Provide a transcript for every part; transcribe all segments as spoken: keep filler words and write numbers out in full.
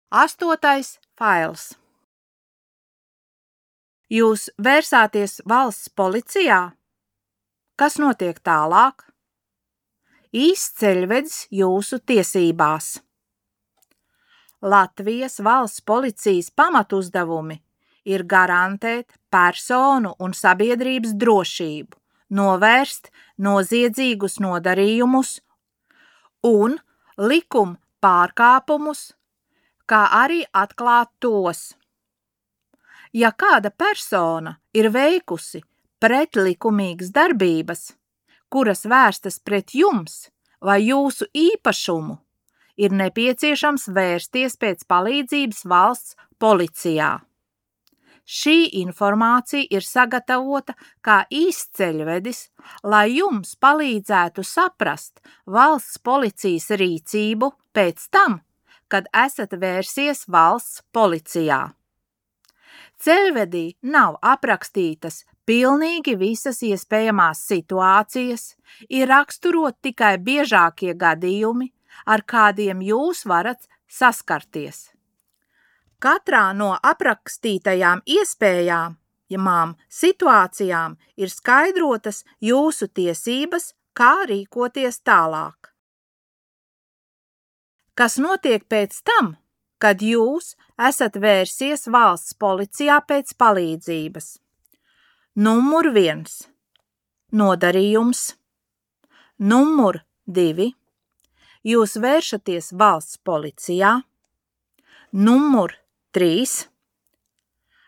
Astotais fails. Jūs vērsāties valsts policijā? Kas notiek tālāk? Īsts ceļvedis jūsu tiesībās. Latvijas valsts policijas pamatuzdevumi ir garantēt personu un sabiedrības drošību, novērst noziedzīgus nodarījumus un likuma pārkāpumus, kā arī atklāt tos. Ja kāda persona ir veikusi pretlikumīgas darbības, kuras vērstas pret jums vai jūsu īpašumu, ir nepieciešams vērsties pēc palīdzības valsts policijā. Šī informācija ir sagatavota kā īsceļvedis, lai jums palīdzētu saprast valsts policijas rīcību pēc tam, kad esat vērsies valsts policijā. Ceļvedī nav aprakstītas pilnīgi visas iespējamās situācijas, ir raksturot tikai biežākie gadījumi, ar kādiem jūs varat saskarties. Katrā no aprakstītajām iespējām, jamām situācijām ir skaidrotas jūsu tiesības, kā rīkoties tālāk. Kas notiek pēc tam, kad jūs esat vērsies valsts policijā pēc palīdzības? Numur viens. Nodarījums. Numur divi. Jūs vēršaties valsts policijā. Numur trīs.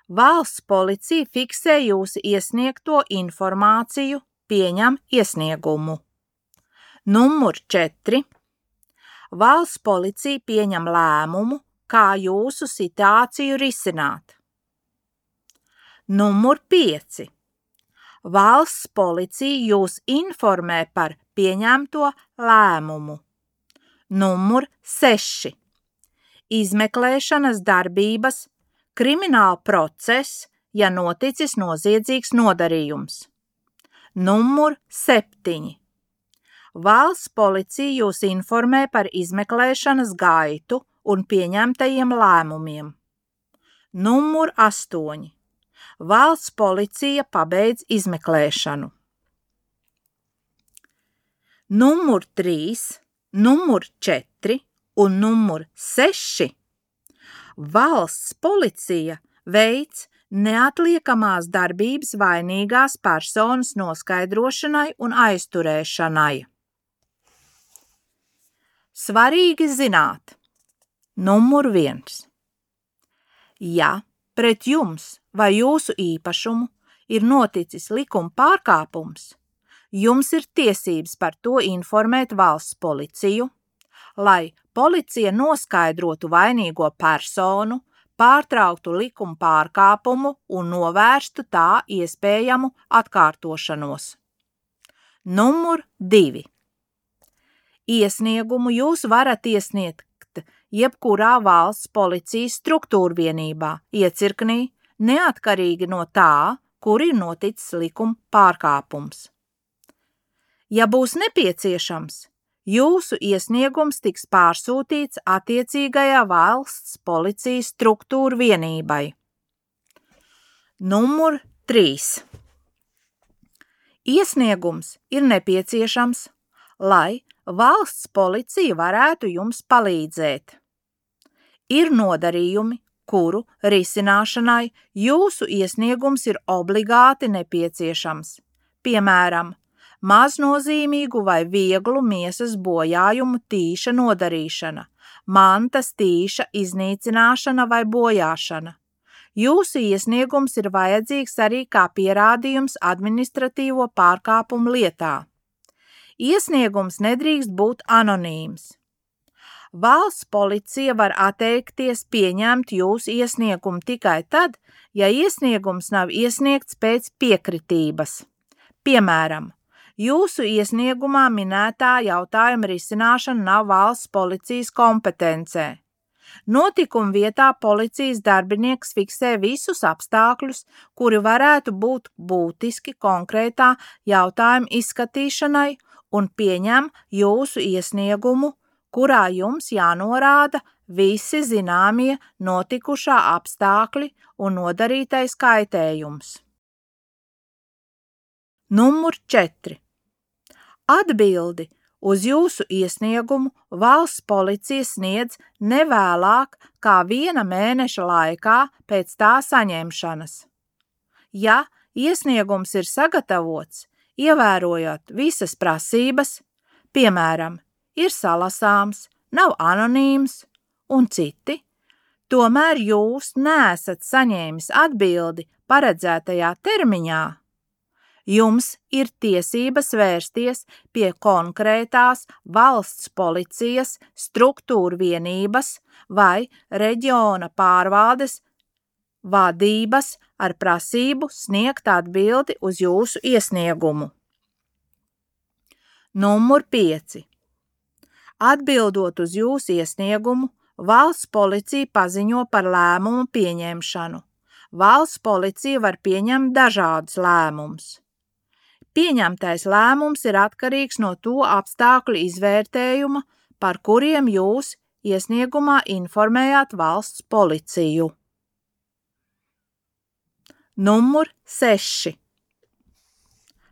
Valsts policija fiksē jūsu iesniegto informāciju, pieņem iesniegumu. Numur četri. Valsts policija pieņem lēmumu, kā jūsu situāciju risināt. Numur pieci. Valsts policija jūs informē par pieņemto lēmumu. Numur seši. Izmeklēšanas darbības, krimināla process, ja noticis noziedzīgs nodarījums. Numur septiņi. Valsts policija jūs informē par izmeklēšanas gaitu un pieņemtajiem lēmumiem. Numur astoņi. Valsts policija pabeidz izmeklēšanu. Numur trīs, numur četri un numur seši. Valsts policija veic neatliekamās darbības vainīgās personas noskaidrošanai un aizturēšanai. Svarīgi zināt. Numur viens. Ja pret jums vai jūsu īpašumu ir noticis likuma pārkāpums, jums ir tiesības par to informēt valsts policiju, lai policija noskaidrotu vainīgo personu, pārtrauktu likuma pārkāpumu un novērstu tā iespējamu atkārtošanos. Numur divi. Iesniegumu jūs varat iesniegt jebkurā valsts policijas struktūrvienībā, iecirknī, neatkarīgi no tā, kur ir noticis likuma pārkāpums. Ja būs nepieciešams, jūsu iesniegums tiks pārsūtīts attiecīgajā valsts policijas struktūrvienībai. Numur trīs. Iesniegums ir nepieciešams, lai valsts policija varētu jums palīdzēt. Ir nodarījumi, kuru risināšanai jūsu iesniegums ir obligāti nepieciešams, piemēram, maznozīmīgu vai vieglu miesas bojājumu tīša nodarīšana, mantas tīša iznīcināšana vai bojāšana. Jūsu iesniegums ir vajadzīgs arī kā pierādījums administratīvo pārkāpumu lietā. Iesniegums nedrīkst būt anonīms. Valsts policija var atteikties pieņemt jūsu iesniegumu tikai tad, ja iesniegums nav iesniegts pēc piekritības. Piemēram, jūsu iesniegumā minētā jautājuma risināšana nav valsts policijas kompetencē. Notikuma vietā policijas darbinieks fiksē visus apstākļus, kuri varētu būt būtiski konkrētā jautājuma izskatīšanai un pieņem jūsu iesniegumu, kurā jums jānorāda visi zināmie notikušā apstākļi un nodarītais kaitējums. Numur četri. Atbildi uz jūsu iesniegumu valsts policija sniedz nevēlāk kā viena mēneša laikā pēc tā saņemšanas. Ja iesniegums ir sagatavots, ievērojot visas prasības, piemēram, ir salasāms, nav anonīms un citi, tomēr jūs neesat saņēmis atbildi paredzētajā termiņā, jums ir tiesības vērsties pie konkrētās valsts policijas struktūra vienības vai reģiona pārvaldes vadības ar prasību sniegt atbildi uz jūsu iesniegumu. Numur pieci. Atbildot uz jūsu iesniegumu, valsts policija paziņo par lēmumu pieņemšanu. Valsts policija var pieņemt dažādus lēmumus. Pieņemtais lēmums ir atkarīgs no to apstākļu izvērtējuma, par kuriem jūs iesniegumā informējāt valsts policiju. Numur seši.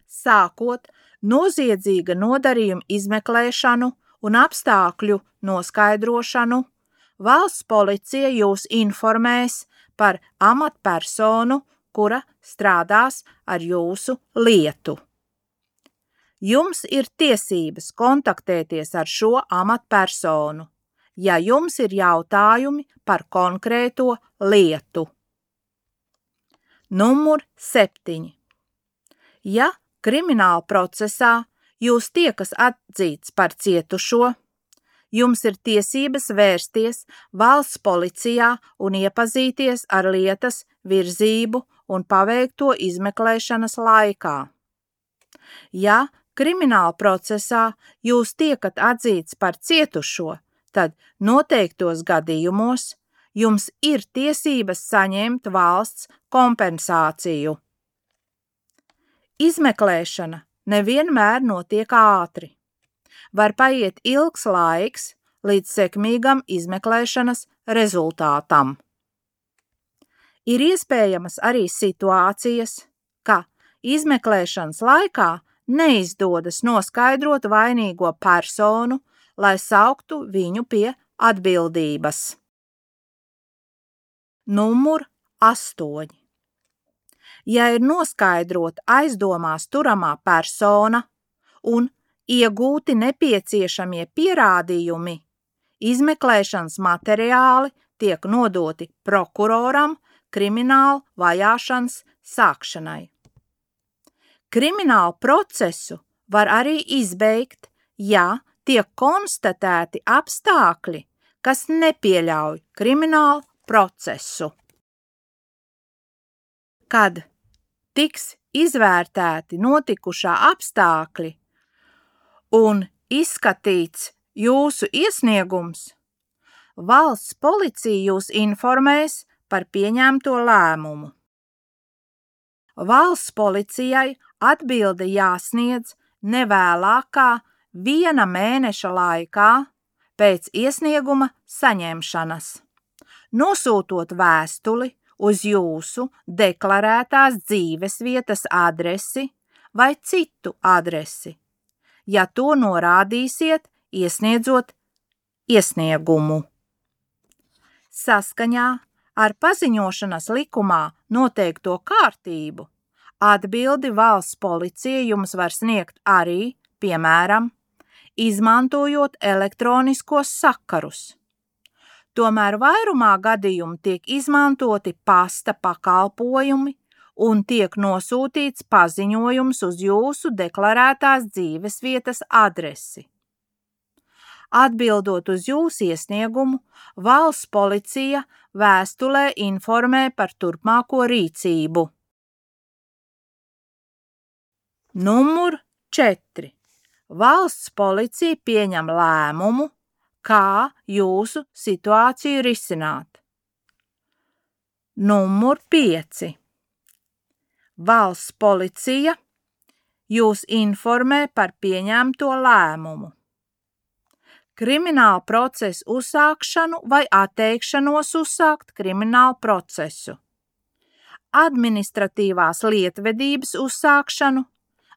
Sākot noziedzīga nodarījuma izmeklēšanu un apstākļu noskaidrošanu, valsts policija jūs informēs par amatpersonu, kura strādās ar jūsu lietu. Jums ir tiesības kontaktēties ar šo amatpersonu, ja jums ir jautājumi par konkrēto lietu. Numur septiņi. Ja krimināla procesā jūs tiekas atzīts par cietušo, jums ir tiesības vērsties valsts policijā un iepazīties ar lietas virzību un paveikto izmeklēšanas laikā. Ja krimināla procesā jūs tiekat atzīts par cietušo, tad noteiktos gadījumos jums ir tiesības saņemt valsts kompensāciju. Izmeklēšana nevienmēr notiek ātri. Var paiet ilgs laiks līdz sekmīgam izmeklēšanas rezultātam. Ir iespējamas arī situācijas, ka izmeklēšanas laikā neizdodas noskaidrot vainīgo personu, lai sauktu viņu pie atbildības. Numur astoņi. Ja ir noskaidrota aizdomās turamā persona un iegūti nepieciešamie pierādījumi, izmeklēšanas materiāli tiek nodoti prokuroram krimināla vajāšanas sākšanai. Kriminālu procesu var arī izbeigt, ja tiek konstatēti apstākļi, kas nepieļauj kriminālu procesu. Kad tiks izvērtēti notikušā apstākļi un izskatīts jūsu iesniegums, valsts policija jūs informēs par pieņemto lēmumu. Valsts policijai atbilde jāsniedz nevēlāk kā viena mēneša laikā pēc iesnieguma saņemšanas, nosūtot vēstuli uz jūsu deklarētās dzīvesvietas adresi vai citu adresi, ja to norādīsiet, iesniedzot iesniegumu. Saskaņā ar paziņošanas likumā noteikto kārtību, atbildi valsts policija jums var sniegt arī, piemēram, izmantojot elektroniskos sakarus. Tomēr vairumā gadījumu tiek izmantoti pasta pakalpojumi un tiek nosūtīts paziņojums uz jūsu deklarētās dzīvesvietas adresi. Atbildot uz jūsu iesniegumu, valsts policija vēstulē informē par turpmāko rīcību. Numur četri. Valsts policija pieņem lēmumu, kā jūsu situāciju risināt. Numur pieci. Valsts policija jūs informē par pieņemto lēmumu. krimināla procesa uzsākšanu vai atteikšanos uzsākt kriminālu procesu, administratīvās lietvedības uzsākšanu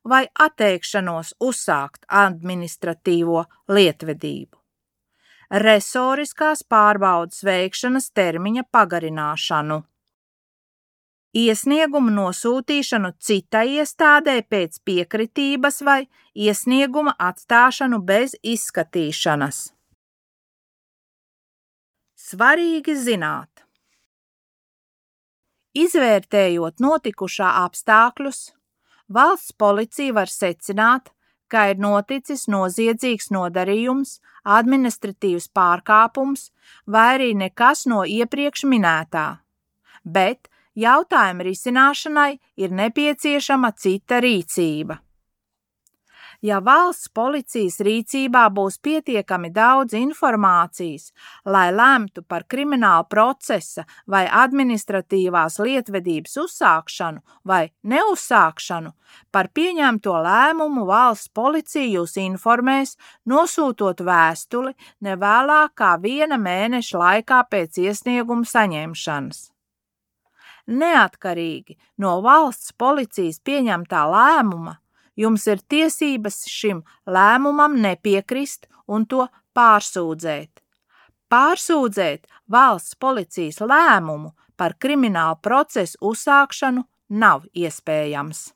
vai atteikšanos uzsākt administratīvo lietvedību, resoriskās pārbaudes veikšanas termiņa pagarināšanu, iesniegumu nosūtīšanu citai iestādē pēc piekritības vai iesnieguma atstāšanu bez izskatīšanas. Svarīgi zināt. Izvērtējot notikušā apstākļus, valsts policija var secināt, ka ir noticis noziedzīgs nodarījums, administratīvs pārkāpums vai arī nekas no iepriekš minētā, bet jautājuma risināšanai ir nepieciešama cita rīcība. Ja valsts policijas rīcībā būs pietiekami daudz informācijas, lai lemtu par krimināla procesa vai administratīvās lietvedības uzsākšanu vai neuzsākšanu, par pieņemto lēmumu valsts policija jūs informēs, nosūtot vēstuli ne vēlāk kā viena mēneša laikā pēc iesnieguma saņemšanas. Neatkarīgi no valsts policijas pieņemtā lēmuma, jums ir tiesības šim lēmumam nepiekrist un to pārsūdzēt. Pārsūdzēt valsts policijas lēmumu par kriminālu procesu uzsākšanu nav iespējams.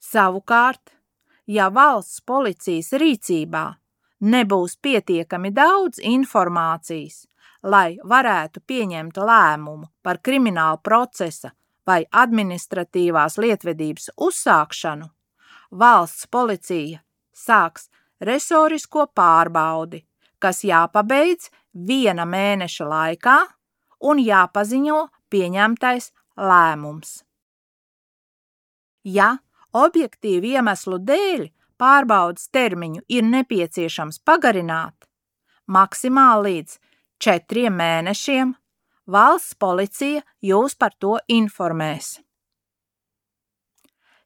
Savukārt, ja valsts policijas rīcībā nebūs pietiekami daudz informācijas, lai varētu pieņemt lēmumu par kriminālu procesa vai administratīvās lietvedības uzsākšanu, valsts policija sāks resorisko pārbaudi, kas jāpabeidz viena mēneša laikā un jāpaziņo pieņemtais lēmums. Ja objektīvu iemeslu dēļ pārbaudes termiņu ir nepieciešams pagarināt, maksimāli līdz četriem mēnešiem, valsts policija jūs par to informēs.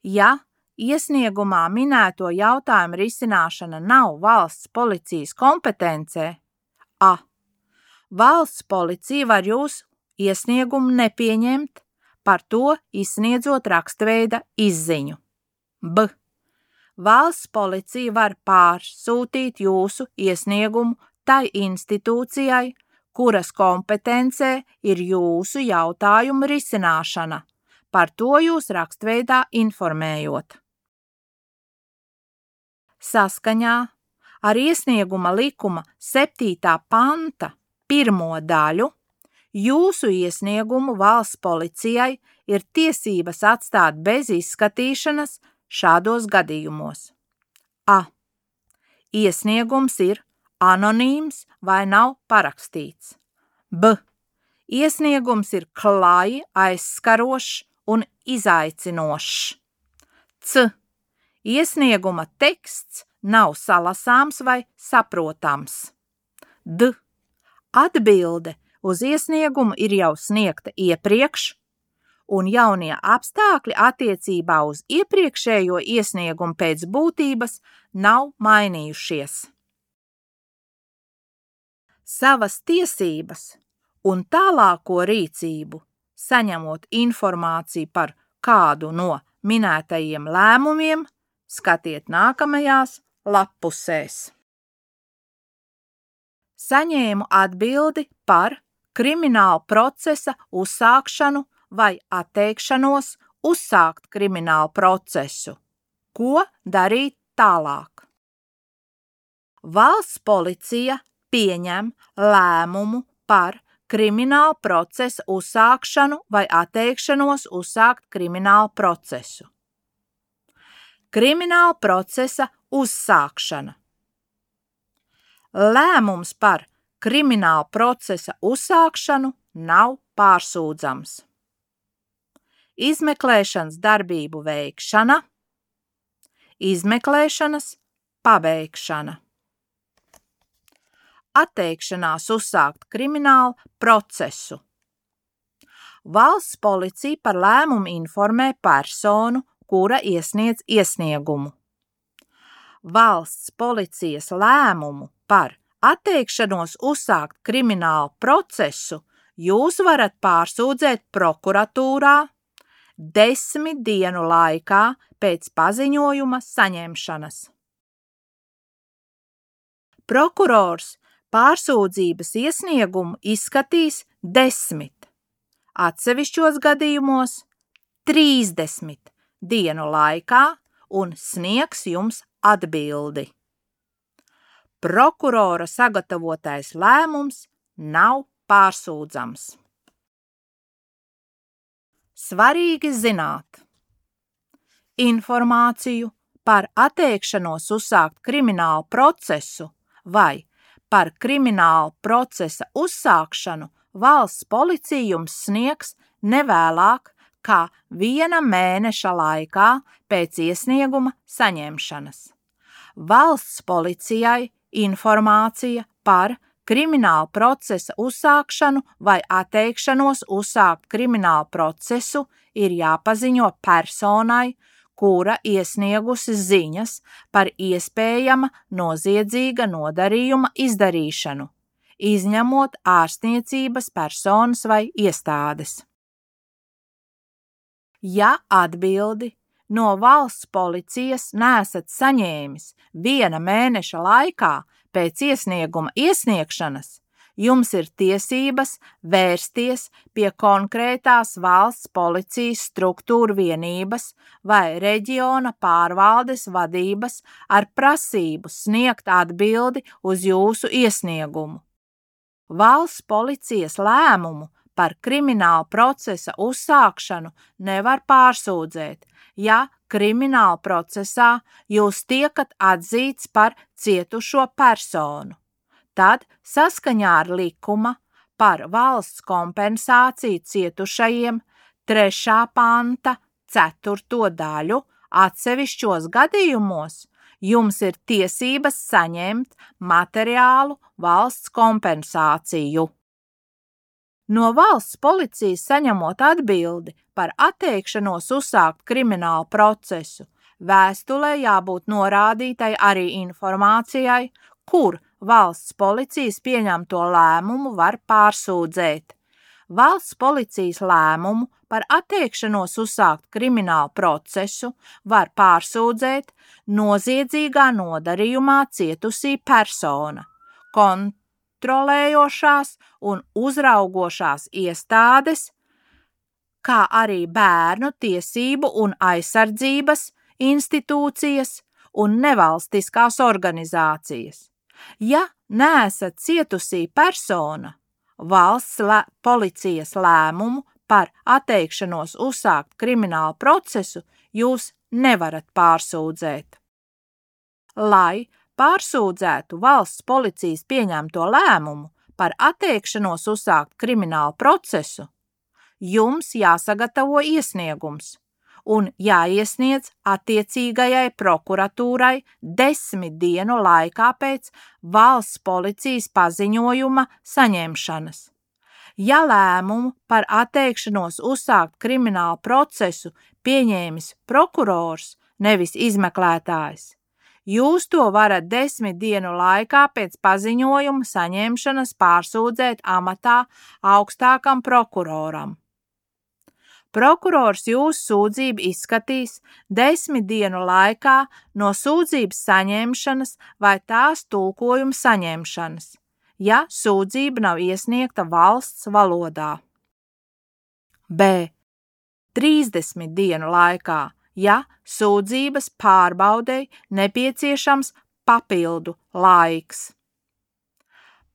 Ja iesniegumā minēto jautājumu risināšana nav valsts policijas kompetencē, a. valsts policija var jūsu iesniegumu nepieņemt, par to izsniedzot rakstveida izziņu. B. valsts policija var pārsūtīt jūsu iesniegumu tai institūcijai, kuras kompetencē ir jūsu jautājumu risināšana, par to jūs rakstveidā informējot. Saskaņā ar iesnieguma likuma septītā panta pirmo daļu jūsu iesniegumu valsts policijai ir tiesības atstāt bez izskatīšanas šādos gadījumos. A. Iesniegums ir anonīms vai nav parakstīts. B. Iesniegums ir klāji aizskarošs un izaicinošs. C. Iesnieguma teksts nav salasāms vai saprotams. D. Atbilde uz iesniegumu ir jau sniegta iepriekš, un jaunie apstākļi attiecībā uz iepriekšējo iesniegumu pēc būtības nav mainījušies. Savas tiesības un tālāko rīcību, saņemot informāciju par kādu no minētajiem lēmumiem, skatiet nākamajās lappusēs. Saņēmu atbildi par krimināla procesa uzsākšanu vai atteikšanos uzsākt kriminālu procesu. Ko darīt tālāk? Valsts policija pieņem lēmumu par krimināla procesa uzsākšanu vai atteikšanos uzsākt kriminālu procesu. Krimināla procesa uzsākšana. Lēmums par krimināla procesa uzsākšanu nav pārsūdzams. Izmeklēšanas darbību veikšana, izmeklēšanas pabeigšana. Atteikšanās uzsākt kriminālu procesu. Valsts policija par lēmumu informē personu, kura iesniedz iesniegumu. valsts policijas lēmumu par atteikšanos uzsākt kriminālu procesu jūs varat pārsūdzēt prokuratūrā desmit dienu laikā pēc paziņojuma saņemšanas. Prokurors pārsūdzības iesniegumu izskatīs desmit, atsevišķos gadījumos trīsdesmit dienu laikā un sniegs jums atbildi. Prokurora sagatavotais lēmums nav pārsūdzams. Svarīgi zināt: informāciju par atteikšanos uzsākt kriminālu procesu vai par kriminālu procesa uzsākšanu valsts policija jums sniegs nevēlāk kā viena mēneša laikā pēc iesnieguma saņemšanas. Valsts policijai informācija par kriminālu procesa uzsākšanu vai atteikšanos uzsākt kriminālu procesu ir jāpaziņo personai, kura iesniegusi ziņas par iespējama noziedzīga nodarījuma izdarīšanu, izņemot ārstniecības personas vai iestādes. Ja atbildi no valsts policijas neesat saņēmis viena mēneša laikā pēc iesnieguma iesniegšanas, jums ir tiesības vērsties pie konkrētās valsts policijas struktūru vienības vai reģiona pārvaldes vadības ar prasību sniegt atbildi uz jūsu iesniegumu. Valsts policijas lēmumu par kriminālu procesa uzsākšanu nevar pārsūdzēt, ja krimināla procesā jūs tiekat atzīts par cietušo personu. Tad saskaņā ar likuma par valsts kompensāciju cietušajiem trešā panta ceturto daļu atsevišķos gadījumos jums ir tiesības saņemt materiālu valsts kompensāciju. No valsts policijas saņemot atbildi par atteikšanos uzsākt kriminālu procesu, vēstulē jābūt norādītai arī informācijai, kur valsts policijas pieņemto lēmumu var pārsūdzēt. Valsts policijas lēmumu par atteikšanos uzsākt kriminālu procesu var pārsūdzēt noziedzīgā nodarījumā cietusī persona, kontrolējošās un uzraugošās iestādes, kā arī bērnu tiesību un aizsardzības institūcijas un nevalstiskās organizācijas. Ja neesat cietusī persona, valsts lē, policijas lēmumu par atteikšanos uzsākt kriminālu procesu jūs nevarat pārsūdzēt. Lai pārsūdzētu valsts policijas pieņemto lēmumu par atteikšanos uzsākt kriminālu procesu, jums jāsagatavo iesniegums un jāiesniedz attiecīgajai prokuratūrai desmit dienu laikā pēc valsts policijas paziņojuma saņemšanas. Ja lēmumu par atteikšanos uzsākt kriminālu procesu pieņēmis prokurors, nevis izmeklētājs, jūs to varat desmit dienu laikā pēc paziņojuma saņemšanas pārsūdzēt amatā augstākam prokuroram. Prokurors jūsu sūdzību izskatīs desmit dienu laikā no sūdzības saņemšanas vai tās tulkojuma saņemšanas, ja sūdzība nav iesniegta valsts valodā. B. trīsdesmit dienu laikā, ja sūdzības pārbaudei nepieciešams papildu laiks.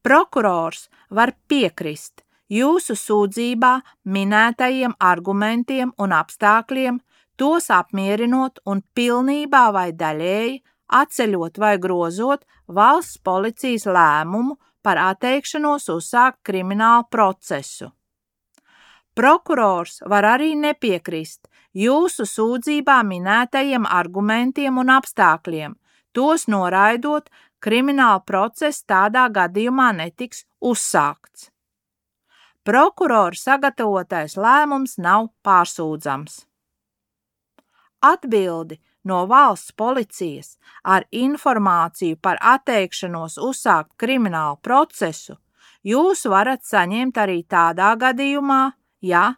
Prokurors var piekrist jūsu sūdzībā minētajiem argumentiem un apstākļiem, tos apmierinot un pilnībā vai daļēji atceļot vai grozot valsts policijas lēmumu par atteikšanos uzsākt kriminālu procesu. Prokurors var arī nepiekrist jūsu sūdzībā minētajiem argumentiem un apstākļiem, tos noraidot, krimināla process tādā gadījumā netiks uzsākts. Prokurora sagatavotais lēmums nav pārsūdzams. Atbildi no valsts policijas ar informāciju par atteikšanos uzsākt kriminālu procesu, jūs varat saņemt arī tādā gadījumā, ja,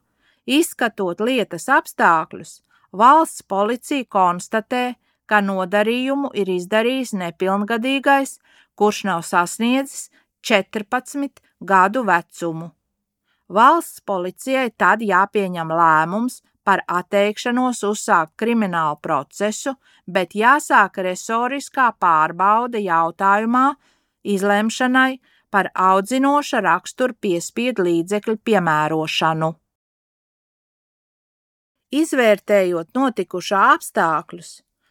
izskatot lietas apstākļus, valsts policija konstatē, ka nodarījumu ir izdarījis nepilngadīgais, kurš nav sasniedzis četrpadsmit gadu vecumu. Valsts policijai tad jāpieņem lēmums par atteikšanos uzsākt kriminālu procesu, bet jāsāk resoriskā pārbaude jautājumā izlemšanai par audzinoša rakstura piespiedu līdzekļu piemērošanu. Izvērtējot notikušā apstākļus,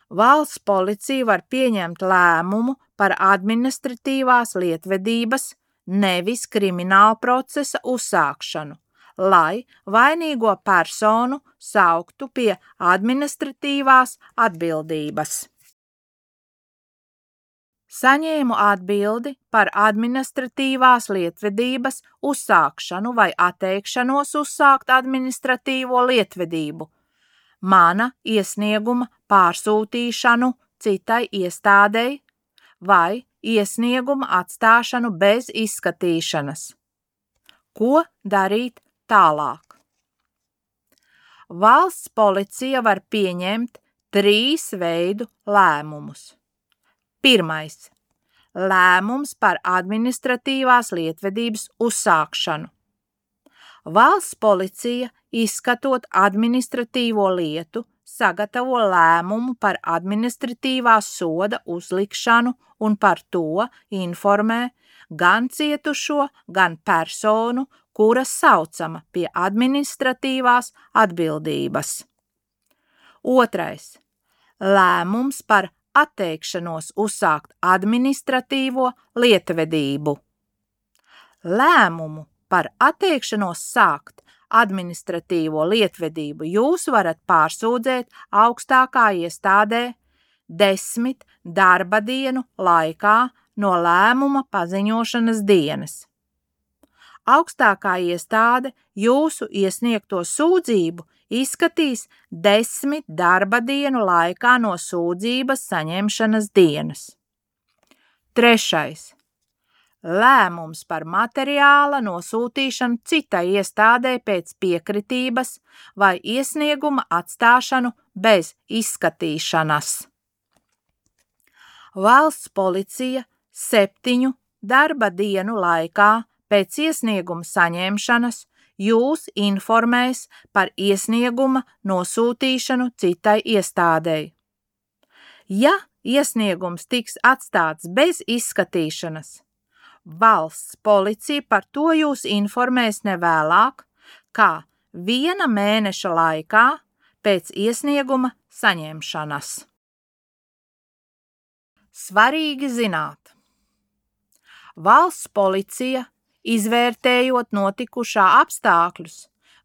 valsts policija var pieņemt lēmumu par administratīvās lietvedības, nevis krimināla procesa uzsākšanu, lai vainīgo personu sauktu pie administratīvās atbildības. Saņēmu atbildi par administratīvās lietvedības uzsākšanu vai atteikšanos uzsākt administratīvo lietvedību, mana iesnieguma pārsūtīšanu citai iestādei vai iesnieguma atstāšanu bez izskatīšanas. Ko darīt tālāk? Valsts policija var pieņemt trīs veidu lēmumus. Pirmais. Lēmums par administratīvās lietvedības uzsākšanu. Valsts policija, izskatot administratīvo lietu, sagatavo lēmumu par administratīvās soda uzlikšanu un par to informē gan cietušo, gan personu, kuras saucama pie administratīvās atbildības. Otrais. Lēmums par atteikšanos uzsākt administratīvo lietvedību. Lēmumu par atteikšanos sākt administratīvo lietvedību jūs varat pārsūdzēt augstākā iestādē desmit darba dienu laikā no lēmuma paziņošanas dienas. Augstākā iestāde jūsu iesniegto sūdzību izskatīs desmit darba dienu laikā no sūdzības saņemšanas dienas. Trešais. Lēmums par materiāla nosūtīšanu citai iestādē pēc piekritības vai iesnieguma atstāšanu bez izskatīšanas. Valsts policija septiņu darba dienu laikā pēc iesnieguma saņemšanas jūs informēs par iesnieguma nosūtīšanu citai iestādei. Ja iesniegums tiks atstāts bez izskatīšanas, valsts policija par to jūs informēs nevēlāk, kā viena mēneša laikā pēc iesnieguma saņemšanas. Svarīgi zināt. Valsts policija, izvērtējot notikušā apstākļus,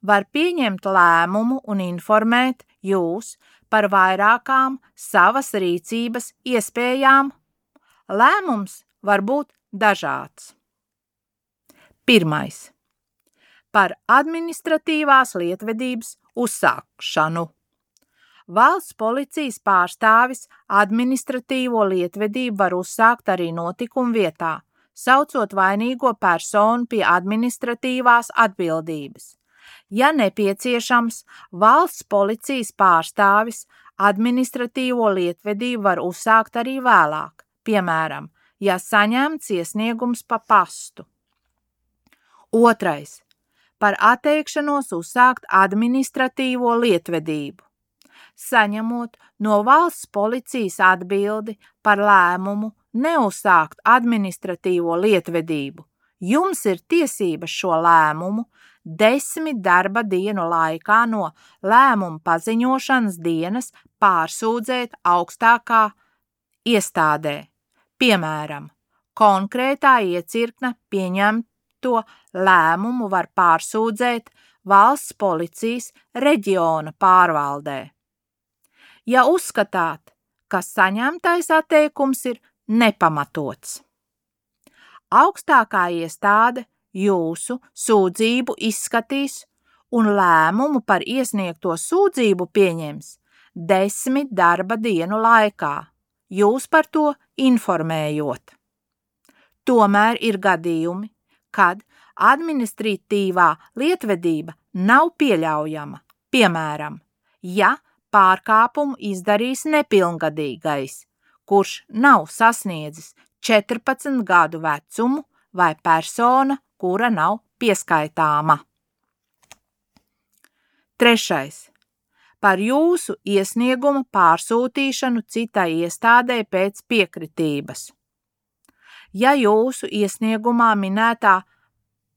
var pieņemt lēmumu un informēt jūs par vairākām savas rīcības iespējām. Lēmums var būt dažāds. Pirmais. Par administratīvās lietvedības uzsākšanu. Valsts policijas pārstāvis administratīvo lietvedību var uzsākt arī notikuma vietā, saucot vainīgo personu pie administratīvās atbildības. Ja nepieciešams, valsts policijas pārstāvis administratīvo lietvedību var uzsākt arī vēlāk, piemēram, ja saņemts iesniegums pa pastu. Otrais. Par atteikšanos uzsākt administratīvo lietvedību. Saņemot no valsts policijas atbildi par lēmumu neuzsākt administratīvo lietvedību, jums ir tiesības šo lēmumu desmit darba dienu laikā no lēmuma paziņošanas dienas pārsūdzēt augstākā iestādē. Piemēram, konkrētā iecirkne pieņemto lēmumu var pārsūdzēt valsts policijas reģiona pārvaldē. Ja uzskatāt, ka saņemtais atteikums ir nepamatots. Augstākā iestāde jūsu sūdzību izskatīs un lēmumu par iesniegto sūdzību pieņems desmit darba dienu laikā, jūs par to informējot. Tomēr ir gadījumi, kad administratīvā lietvedība nav pieļaujama, piemēram, ja pārkāpumu izdarīs nepilngadīgais, kurš nav sasniedzis četrpadsmit gadu vecumu vai persona, kura nav pieskaitāma. Trešais. Par jūsu iesniegumu pārsūtīšanu citai iestādē pēc piekritības. Ja jūsu iesniegumā minētā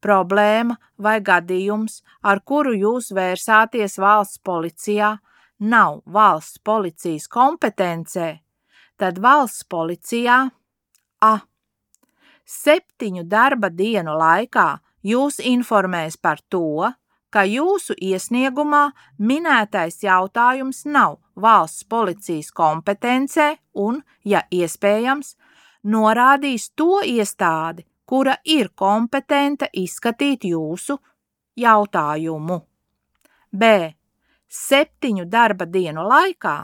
problēma vai gadījums, ar kuru jūs vērsāties valsts policijā, nav valsts policijas kompetencē, tad valsts policijā a. septiņu darba dienu laikā jūs informēs par to, ka jūsu iesniegumā minētais jautājums nav valsts policijas kompetencē un, ja iespējams, norādīs to iestādi, kura ir kompetenta izskatīt jūsu jautājumu. B. Septiņu darba dienu laikā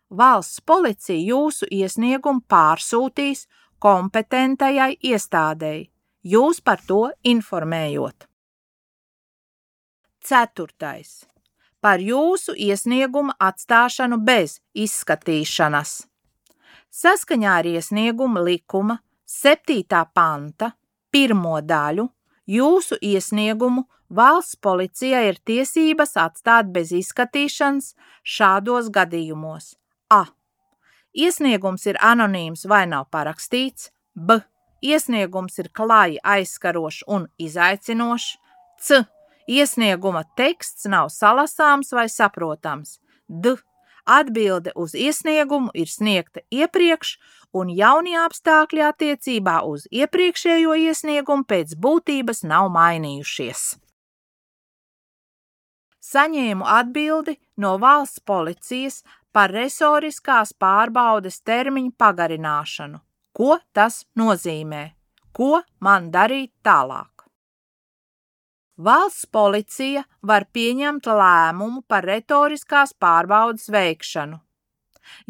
valsts policija jūsu iesniegumu pārsūtīs kompetentajai iestādei, jūs par to informējot. Ceturtais. Par jūsu iesniegumu atstāšanu bez izskatīšanas. Saskaņā ar iesnieguma likuma septītā panta pirmo daļu jūsu iesniegumu valsts policija ir tiesības atstāt bez izskatīšanas šādos gadījumos. A. Iesniegums ir anonīms vai nav parakstīts. B. Iesniegums ir klāji aizskarošs un izaicinošs. C. Iesnieguma teksts nav salasāms vai saprotams. D. Atbilde uz iesniegumu ir sniegta iepriekš un jaunie apstākļi attiecībā uz iepriekšējo iesniegumu pēc būtības nav mainījušies. Saņēmu atbildi no valsts policijas par resoriskās pārbaudes termiņu pagarināšanu. Ko tas nozīmē? Ko man darīt tālāk? Valsts policija var pieņemt lēmumu par retoriskās pārbaudes veikšanu.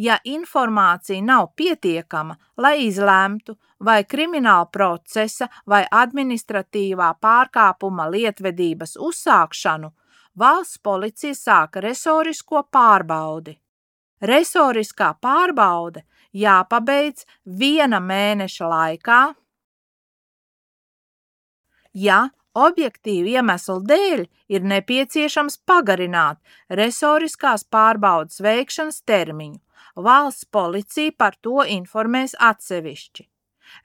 Ja informācija nav pietiekama, lai izlemtu, vai krimināla procesa vai administratīvā pārkāpuma lietvedības uzsākšanu, valsts policija sāka resorisko pārbaudi. Resoriskā pārbaude jāpabeidz viena mēneša laikā, ja objektīvu iemeslu dēļ ir nepieciešams pagarināt resoriskās pārbaudes veikšanas termiņu. Valsts policija par to informēs atsevišķi.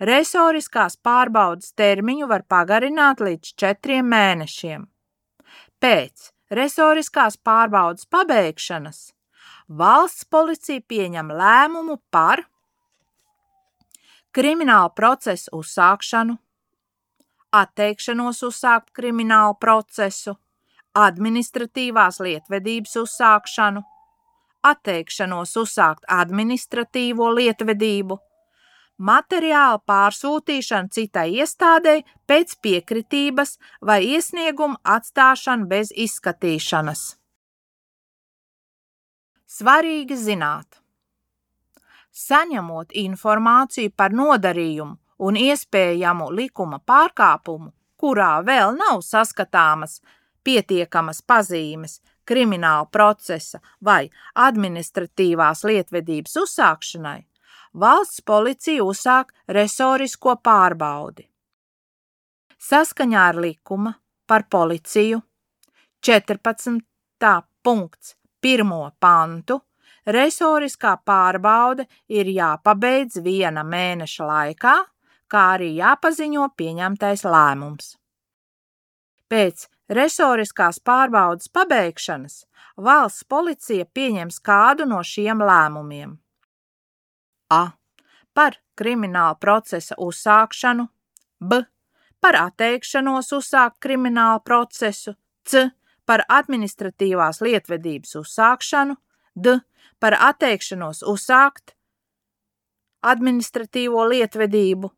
Resoriskās pārbaudes termiņu var pagarināt līdz četriem mēnešiem. Pēc resoriskās pārbaudes pabeigšanas valsts policija pieņem lēmumu par kriminālu procesu uzsākšanu, atteikšanos uzsākt kriminālu procesu, administratīvās lietvedības uzsākšanu, atteikšanos uzsākt administratīvo lietvedību, materiālu pārsūtīšanu citai iestādei pēc piekritības vai iesniegumu atstāšanu bez izskatīšanas. Svarīgi zināt. Saņemot informāciju par nodarījumu un iespējamu likuma pārkāpumu, kurā vēl nav saskatāmas pietiekamas pazīmes krimināla procesa vai administratīvās lietvedības uzsākšanai, valsts policija uzsāk resorisko pārbaudi. Saskaņā ar likuma par policiju četrpadsmitā punkts pirmo pantu resoriskā pārbaude ir jāpabeidz viena mēneša laikā, kā arī jāpaziņo pieņemtais lēmums. Pēc resoriskās pārbaudes pabeigšanas valsts policija pieņems kādu no šiem lēmumiem. A. Par krimināla procesa uzsākšanu. B. Par atteikšanos uzsākt kriminālu procesu. C. Par administratīvās lietvedības uzsākšanu. D. Par atteikšanos uzsākt administratīvo lietvedību.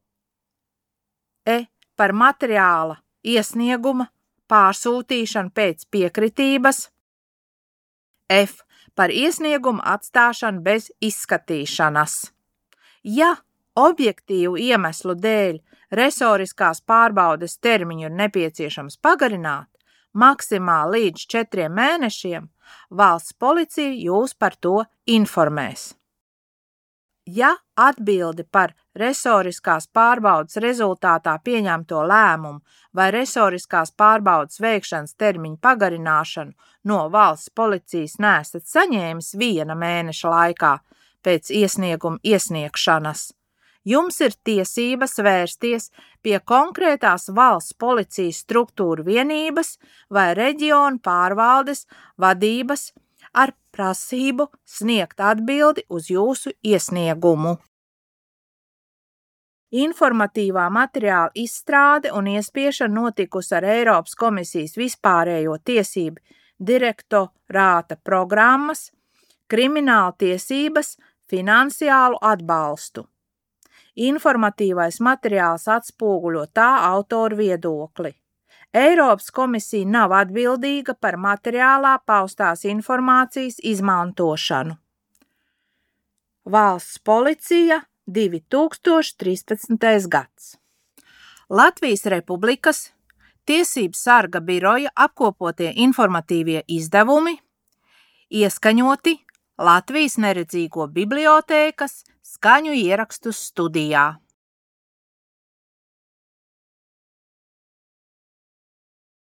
E. Par materiāla iesnieguma pārsūtīšanu pēc piekritības. F. par iesniegumu atstāšanu bez izskatīšanas. Ja objektīvu iemeslu dēļ resoriskās pārbaudes termiņu ir nepieciešams pagarināt maksimāli līdz četriem mēnešiem, valsts policija jūs par to informēs. Ja atbildi par resoriskās pārbaudes rezultātā pieņemto lēmumu vai resoriskās pārbaudes veikšanas termiņu pagarināšanu no valsts policijas neesat saņēmis viena mēneša laikā pēc iesnieguma iesniegšanas, jums ir tiesības vērsties pie konkrētās valsts policijas struktūru vienības vai reģionu pārvaldes vadības ar prasību sniegt atbildi uz jūsu iesniegumu. Informatīvā materiāla izstrāde un iespiešana notikusi ar Eiropas komisijas vispārējo tiesību direktorāta programmas, krimināla tiesības, finansiālu atbalstu. Informatīvais materiāls atspoguļo tā autoru viedokli. Eiropas komisija nav atbildīga par materiālā paustās informācijas izmantošanu. Valsts policija divi tūkstoši trīspadsmitais gads. Latvijas Republikas Tiesību sarga biroja apkopotie informatīvie izdevumi, ieskaņoti Latvijas neredzīgo bibliotēkas skaņu ierakstu studijā.